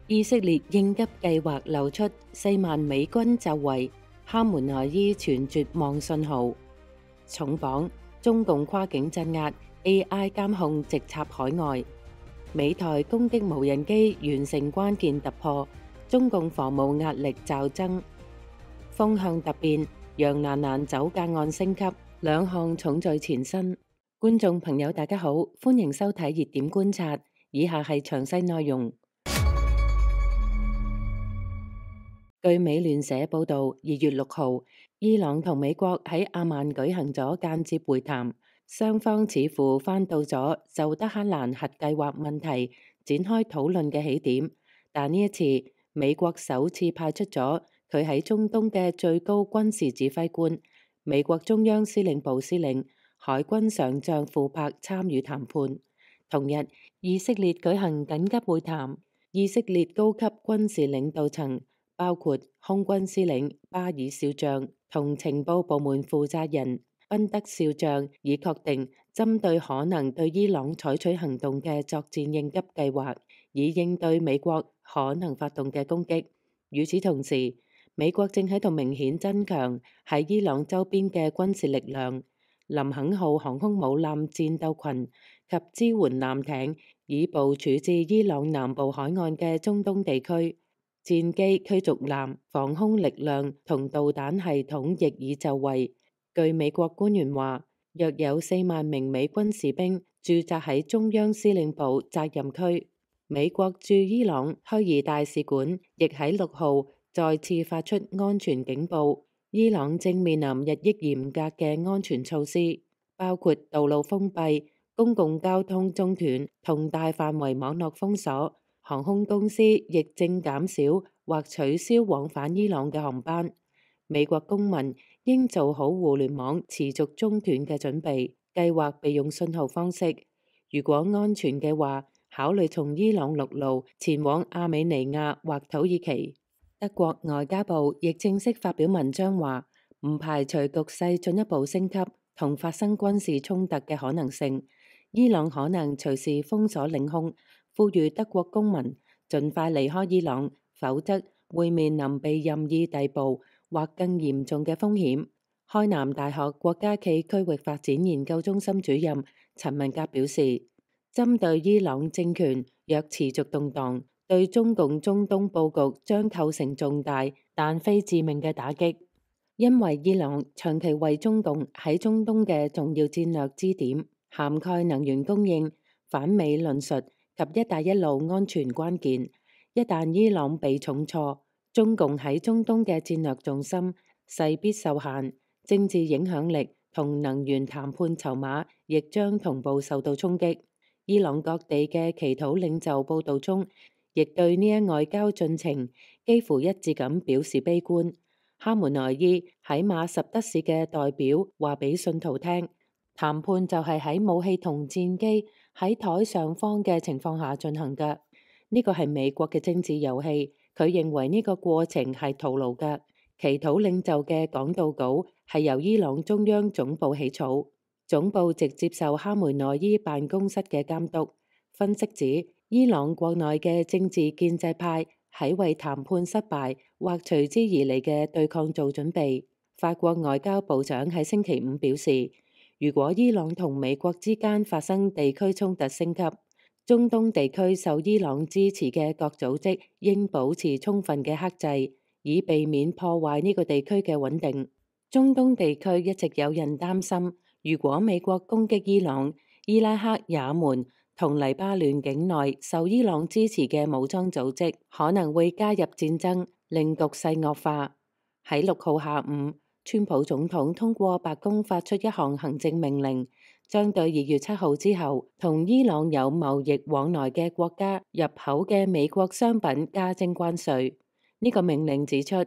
以色列應急計劃流出4萬美軍就位，哈梅內伊傳絕望信號。重磅，中共跨境鎮壓 AI 監控直插海外。美台攻擊無人機完成關鍵突破，中共防務壓力驟增。風向突變，楊蘭蘭酒駕案升級，2項重罪纏身。觀眾朋友大家好，歡迎收睇熱點觀察，以下係詳細內容。據美聯社報導，2月6號，伊朗同美國喺阿曼舉行咗間接會談，雙方似乎翻到咗就德黑蘭核計劃問題展開討論嘅起點，但呢一次美國首次派出咗佢喺中東嘅最高軍事指揮官，美國中央司令部司令、海軍上將庫珀參與談判。同日，以色列舉行緊急會談，以色列高級軍事領導層包括空軍司令巴爾少將同情報部門負責人賓德少將，已確定針對可能對伊朗採取行動嘅作戰應急計劃，以應對美國可能發動嘅攻擊。與此同時，美國正喺度明顯增強喺伊朗周邊嘅軍事力量，林肯號航空母艦戰鬥群及支援艦艇已部署至伊朗南部海岸嘅中東地區。戰機、驅逐艦、防空力量同導彈系統亦已就位。據美國官員話，約有4萬名美軍士兵駐紮喺中央司令部責任區。美國駐伊朗虛擬大使館亦喺6號再次發出安全警報，伊朗正面臨日益嚴格嘅安全措施，包括道路封閉、公共交通中斷同大範圍網絡封鎖。航空公司亦正減少或取消往返伊朗嘅航班。美國公民應做好互聯網持續中斷嘅準備，計劃備用信號方式。如果安全嘅話，考慮從伊朗陸路前往亞美尼亞或土耳其。德國外交部亦正式發表文章話，唔排除局勢進一步升級同發生軍事衝突嘅可能性。伊朗可能隨時封鎖領空，呼籲德國公民盡快離開伊朗，否則會面臨被任意逮捕或更嚴重嘅風險。開南大學國家暨區域發展研究中心主任陳文革表示，針對伊朗政權若持續動盪，對中共中東佈局將構成重大但非致命嘅打擊，因為伊朗長期為中共喺中東嘅重要戰略支點，涵蓋能源供應、反美論述及一帶一路安全關鍵。一旦伊朗被重挫，中共喺中東嘅戰略重心勢必受限，政治影響力同能源談判籌碼亦將同步受到衝擊。伊朗各地嘅祈禱領袖報道中，亦對呢一外交進程幾乎一致咁表示悲觀。哈梅內伊喺馬什德市嘅代表話俾信徒聽，談判就係喺武器同戰機喺台上方嘅情況下進行嘅。呢個係美國嘅政治遊戲，佢認為呢個過程係徒勞嘅。祈禱領袖嘅講道稿係由伊朗中央總部起草，總部直接受哈梅內伊辦公室嘅監督。分析指，伊朗國內嘅政治建制派喺為談判失敗或隨之而嚟嘅對抗做準備。法國外交部長喺星期五表示，如果伊朗同美國之間發生地區衝突升級，中東地區受伊朗支持嘅各組織應保持充分嘅克制，以避免破壞呢個地區嘅穩定。中東地區一直有人擔心，如果美國攻擊伊朗，伊拉克、也門同黎巴嫩境內受伊朗支持嘅武裝組織可能會加入戰爭，令局勢惡化。喺6號下午，川普總統通過白宮發出一項行政命令，將對2月7號之後同伊朗有貿易往來嘅國家入口嘅美國商品加徵關稅。呢個命令指出，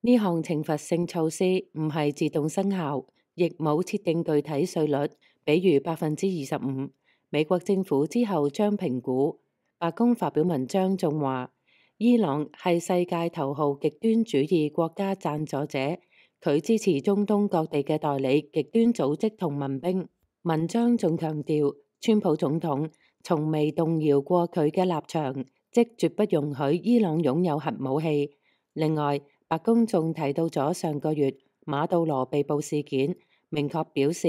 呢項懲罰性措施唔係自動生效，亦冇設定具體稅率，比如25%。美國政府之後將評估。白宮發表文章仲話，伊朗係世界頭號極端主義國家贊助者，佢支持中東各地嘅代理極端組織同民兵。文章仲強調，川普總統從未動搖過佢嘅立場，即絕不容許伊朗擁有核武器。另外，白宮仲提到咗上個月馬杜羅被捕事件，明確表示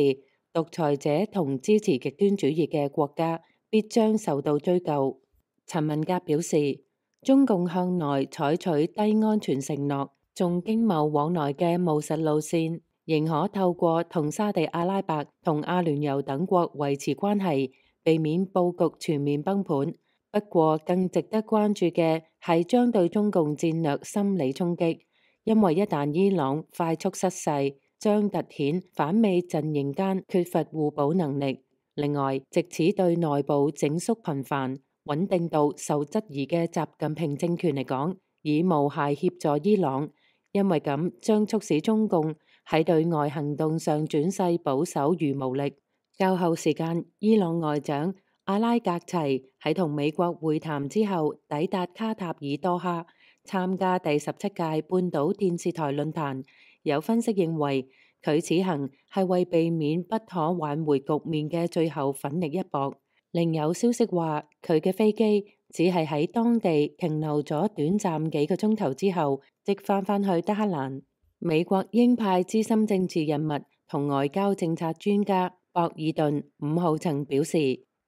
獨裁者同支持極端主義嘅國家必將受到追究。陳文革表示，中共向來採取低安全承諾、重經貿往來嘅務實路線，仍可透過同沙地阿拉伯同阿聯酋等國維持關係，避免佈局全面崩盤。不過，更值得關注嘅係將對中共戰略心理衝擊，因為一旦伊朗快速失勢，將凸顯反美陣營間缺乏互補能力。另外，藉此對內部整肅頻繁、穩定度受質疑嘅習近平政權嚟講，以無懈協助伊朗，因為咁將促使中共喺對外行動上轉勢保守與無力。較後時間，伊朗外長阿拉格齊喺同美國會談之後，抵達卡塔爾多哈參加第17屆半島電視台論壇。有分析認為，佢此行係為避免不可挽回局面嘅最後奮力一搏。另有消息話，佢嘅飛機只係喺當地停留咗短暫幾個鐘頭之後，即返去德黑蘭。美國鷹派資深政治人物同外交政策專家博爾頓5號曾表示，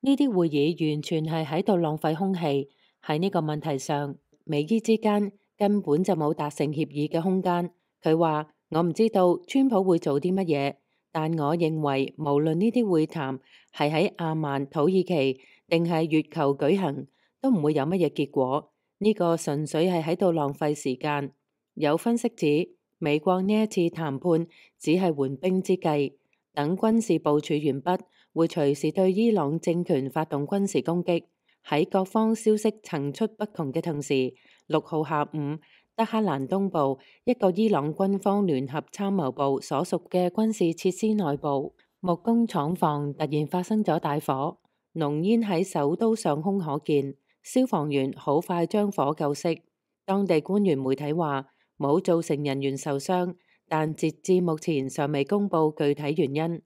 呢啲會議完全係喺度浪費空氣。喺呢個問題上，美伊之間根本就冇達成協議嘅空間。佢話：我唔知道川普會做啲乜嘢，但我認為無論呢啲會談係喺阿曼、土耳其定係月球舉行，都唔會有乜嘢結果。呢個純粹係喺度浪費時間。有分析指，美國呢一次談判只係緩兵之計，等軍事部署完畢，會隨時對伊朗政權發動軍事攻擊。喺各方消息層出不窮嘅同時，6號下午，德黑蘭東部一個伊朗軍方聯合參謀部所屬嘅軍事設施內部木工廠房突然發生咗大火，濃煙喺首都上空可見，消防員好快將火救熄。當地官員媒體話冇造成人員受傷，但截至目前尚未公布具體原因。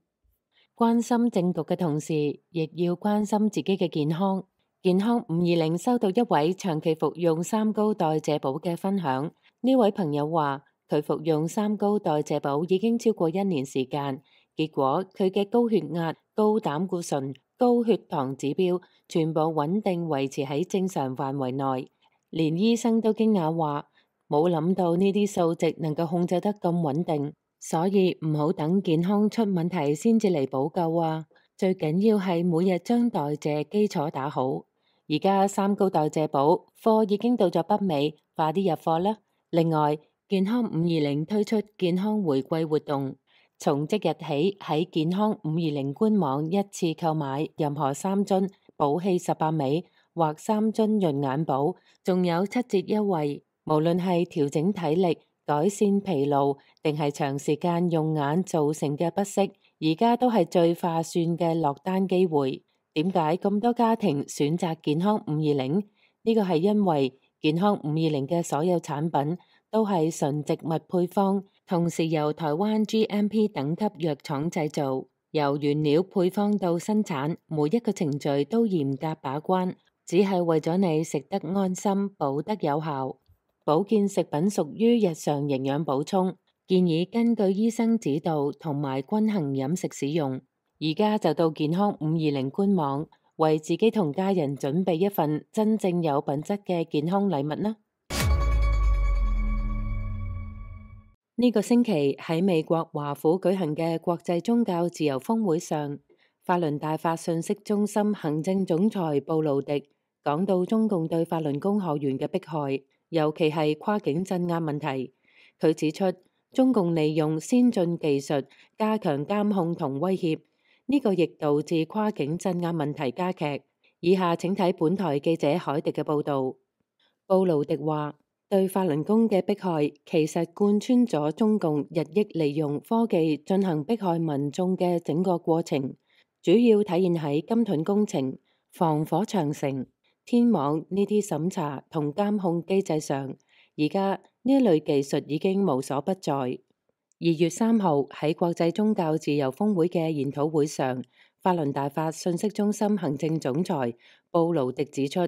關心政局嘅同時，亦要關心自己嘅健康。健康520收到一位長期服用三高代謝寶嘅分享。呢位朋友話，佢服用三高代謝寶已經超過1年時間，結果佢嘅高血壓、高膽固醇、高血糖指標全部穩定維持喺正常範圍內，連醫生都驚訝話，冇諗到呢啲數值能夠控制得咁穩定，所以唔好等健康出問題先至嚟補救啊！最緊要係每日將代謝基礎打好。而家三高代謝寶貨已經到咗北美，快啲入貨啦！另外，健康520推出健康回饋活動，從即日起喺健康520官網一次購買任何3樽寶氣18美或3樽潤眼寶，仲有7折優惠。無論係調整體力、改善疲勞，定係長時間用眼造成嘅不適，而家都係最划算嘅落單機會。點解咁多家庭選擇健康520？呢個係因為健康520嘅所有產品都係純植物配方，同時由台灣 GMP 等級藥廠製造，由原料配方到生產，每一個程序都嚴格把關，只係為咗你食得安心、補得有效。保健食品屬於日常營養補充，建議根據醫生指導同埋均衡飲食使用。而家就到健康520官網，為自己同家人準備一份真正有品質嘅健康禮物啦！呢個星期喺美國華府舉行嘅國際宗教自由峰會上，法輪大法信息中心行政總裁布魯迪講到中共對法輪功學員嘅迫害，尤其係跨境鎮壓問題。佢指出，中共利用先進技術加強監控同威脅。呢個亦導致跨境鎮壓問題加劇。以下請睇本台記者海迪嘅報導。布魯迪話：對法輪功嘅迫害其實貫穿咗中共日益利用科技進行迫害民眾嘅整個過程，主要體現喺金盾工程、防火長城、天網呢啲審查同監控機制上。而家呢一類技術已經無所不在。2月3號喺國際宗教自由峰會嘅研討會上，法輪大法信息中心行政總裁布魯迪指出，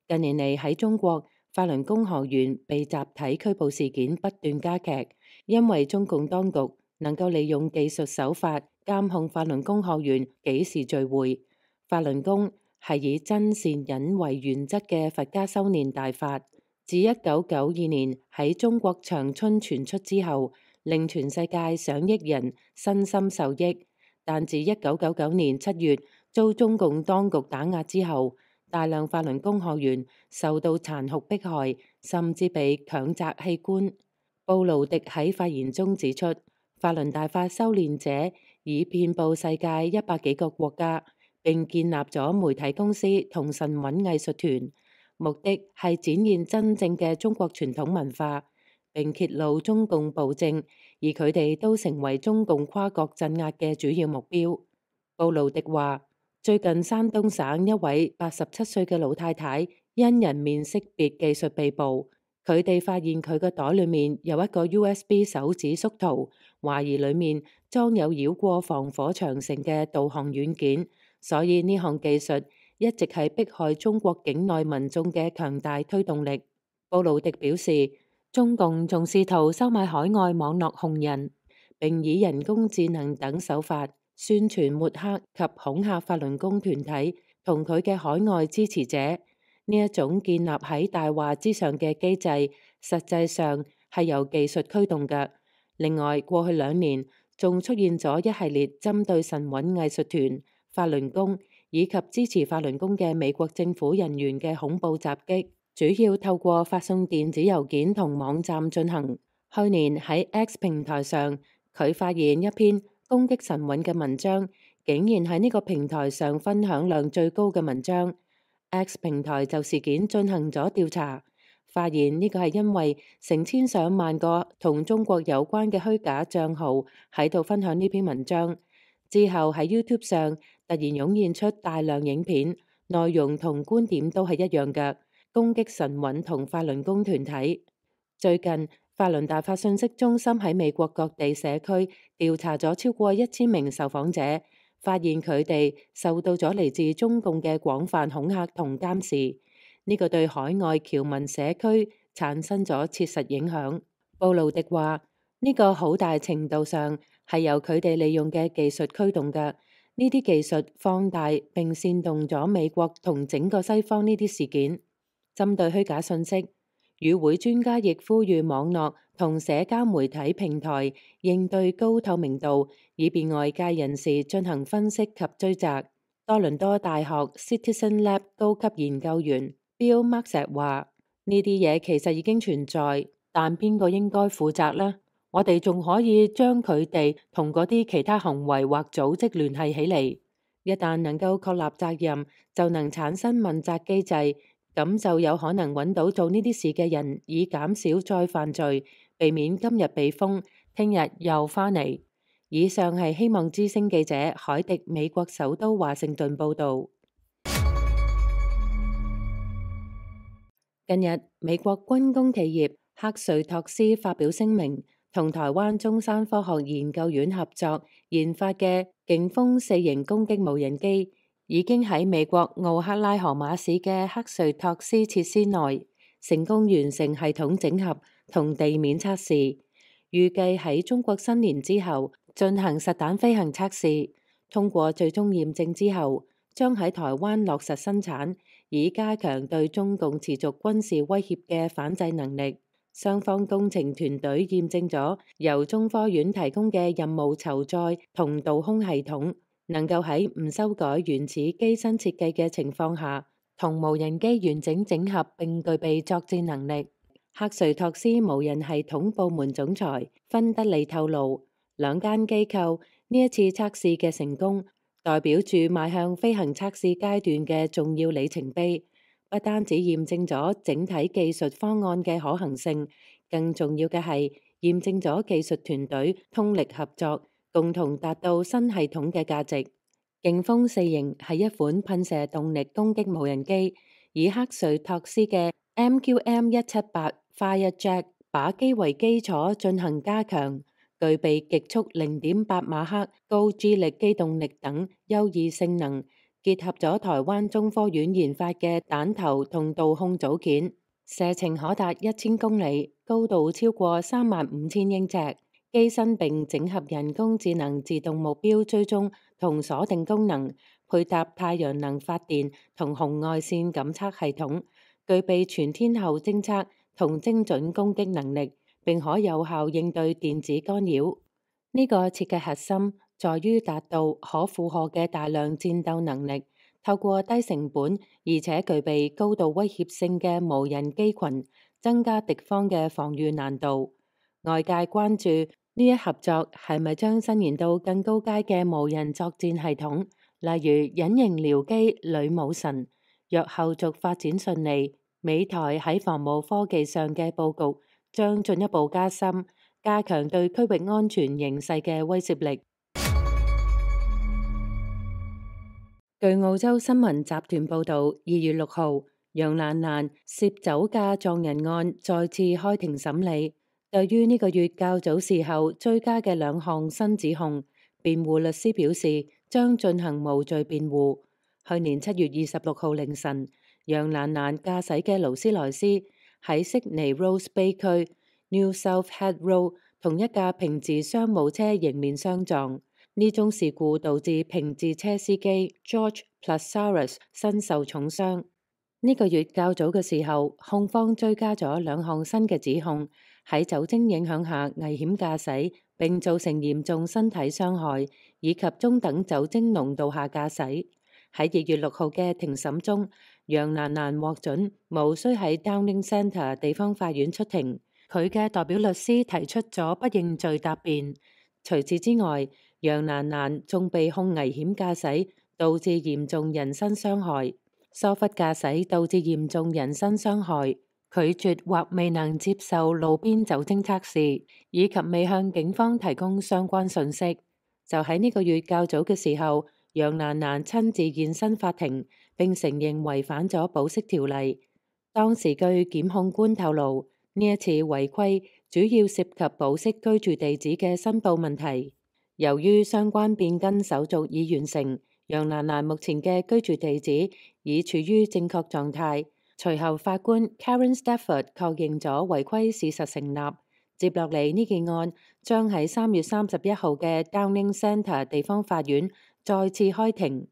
近年嚟喺中國，法輪功學員被集體拘捕事件不斷加劇，因為中共當局能夠利用技術手法監控法輪功學員幾時聚會。法輪功係以真善忍為原則嘅佛家修煉大法，自1992年喺中國長春傳出之後，令全世界上億人身心受益。但自1999年7月遭中共當局打壓之後，大量法輪功學員受到殘酷迫害，甚至被強摘器官。布勞迪喺發言中指出，法輪大法修煉者已遍佈世界100幾個國家，並建立咗媒體公司同神韻藝術團，目的係展現真正嘅中國傳統文化，並揭露中共暴政，而佢哋都成為中共跨國鎮壓嘅主要目標。布勞迪話，最近山東省一位87歲嘅老太太因人面識別技術被捕，佢哋發現佢個袋裏面有一個 USB 手指縮圖，懷疑裏面裝有繞過防火長城嘅導航軟件，所以呢項技術一直係迫害中國境內民眾嘅強大推動力。布勞迪表示，中共仲試圖收買海外網絡紅人，並以人工智能等手法宣傳抹黑及恐嚇法輪功團體同佢嘅海外支持者。呢一種建立喺大話之上嘅機制，實際上係由技術驅動嘅。另外，過去2年仲出現咗一系列針對神韻藝術團、法輪功以及支持法輪功嘅美國政府人員嘅恐怖襲擊，主要透過發送電子郵件同網站進行。去年喺 X 平台上，佢發現一篇攻擊神韻嘅文章，竟然喺呢個平台上分享量最高嘅文章。X 平台就事件進行咗調查，發現呢個係因為成千上萬個同中國有關嘅虛假賬號喺度分享呢篇文章。之後喺 YouTube 上突然湧現出大量影片，內容同觀點都係一樣嘅，攻擊神韻同法輪功團體。最近法輪大法信息中心喺美國各地社區調查咗超過1000名受訪者，發現佢哋受到咗嚟自中共嘅廣泛恐嚇同監視，呢個對海外僑民社區產生咗切實影響。布勞迪話，呢個好大程度上係由佢哋利用嘅技術驅動嘅，呢啲技術放大並煽動咗美國同整個西方呢啲事件。針對虛假信息，與會專家亦呼籲網絡同社交媒體平台應對高透明度，以便外界人士進行分析及追責。多倫多大學 Citizen Lab 高級研究員 Bill Maxett 話：呢啲嘢其實已經存在，但邊個應該負責呢？我哋仲可以將佢哋同嗰啲其他行為或組織聯繫起嚟。一旦能夠確立責任，就能產生問責機制。咁就有可能揾到做呢啲事嘅人，以減少再犯罪，避免今日被封，聽日又返嚟。以上係希望之聲記者海迪美國首都華盛頓報導。近日，美國軍工企業克瑞托斯發表聲明，同台灣中山科學研究院合作研發嘅勁風4型攻擊無人機，已經喺美國奧克拉荷馬市嘅克瑞托斯設施內成功完成系統整合同地面測試，預計喺中國新年之後進行實彈飛行測試，通過最終驗證之後，將喺台灣落實生產，以加強對中共持續軍事威脅嘅反制能力。雙方工程團隊驗證咗由中科院提供嘅任務籌載同導空系統，能夠喺唔修改原始機身設計嘅情況下，同無人機完整整合並具備作戰能力。克瑞托斯無人系統部門總裁芬德利透露，兩間機構呢一次測試嘅成功，代表住邁向飛行測試階段嘅重要里程碑。不單止驗證咗整體技術方案嘅可行性，更重要嘅係驗證咗技術團隊通力合作，共同達到新系統嘅價值。勁風4型係一款噴射動力攻擊無人機，以克瑞托斯嘅 MQM-178 Firejet 靶機為基礎進行加強，具備極速0.8馬赫、高 G 力機動力等優異性能，結合咗台灣中科院研發嘅彈頭同導控組件，射程可達1000公里，高度超過35000英尺，機身並整合人工智能自動目標追蹤同鎖定功能，配搭太陽能發電同紅外線感測系統，具備全天候偵測同精準攻擊能力，並可有效應對電子干擾。呢個設計核心在於達到可負荷嘅大量戰鬥能力，透過低成本而且具備高度威脅性嘅無人機群，增加敵方嘅防禦難度。外界關注呢一合作係咪將伸延到更高階嘅無人作戰系統，例如隱形僚機女武神。若後續發展順利，美台喺防務科技上嘅佈局將進一步加深，加強對區域安全形勢嘅威懾力。據澳洲新聞集團報導，2月6號，楊蘭蘭涉酒駕撞人案再次開庭審理。對於呢個月較早時候追加嘅2項新指控，辯護律師表示將進行無罪辯護。去年7月26號凌晨，楊蘭蘭駕駛嘅勞斯萊斯喺悉尼 Rose Bay 區 New South Head Road 同一架平治商務車迎面相撞。呢宗事故導致平治車司機 George Plasaras 身受重傷。呢個月較早嘅時候，控方追加咗2項新嘅指控，喺酒精影響下危險駕駛並造成嚴重身體傷害，以及中等酒精濃度下駕駛。喺2月6號嘅庭審中，楊蘭蘭獲准無需喺 Downing Centre 地方法院出庭，佢嘅代表律師提出咗不認罪答辯。除此之外，楊蘭蘭仲被控危險駕駛導致嚴重人身傷害、疏忽駕駛導致嚴重人身傷害、拒絕或未能接受路邊酒精測試，以及未向警方提供相關信息。就喺呢個月較早嘅時候，楊蘭蘭親自現身法庭，並承認違反咗保釋條例。當時據檢控官透露，呢一次違規主要涉及保釋居住地址嘅申報問題。由於相關變更手續已完成，楊蘭蘭目前嘅居住地址已處於正確狀態。隨後法官 Karen Stafford 確認咗違規事實成立。接落嚟呢件案將喺3月31號嘅 Downing Centre 地方法院再次開庭。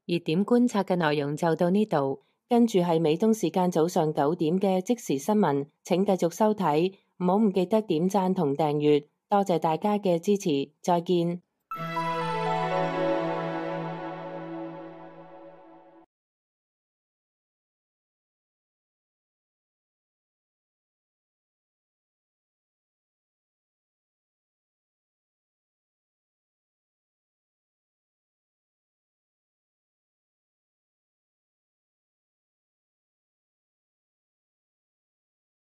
熱點觀察嘅內容就到呢度，跟住係美東時間早上9點嘅即時新聞，請繼續收睇，唔好唔記得點讚同訂閱，多謝大家嘅支持，再見。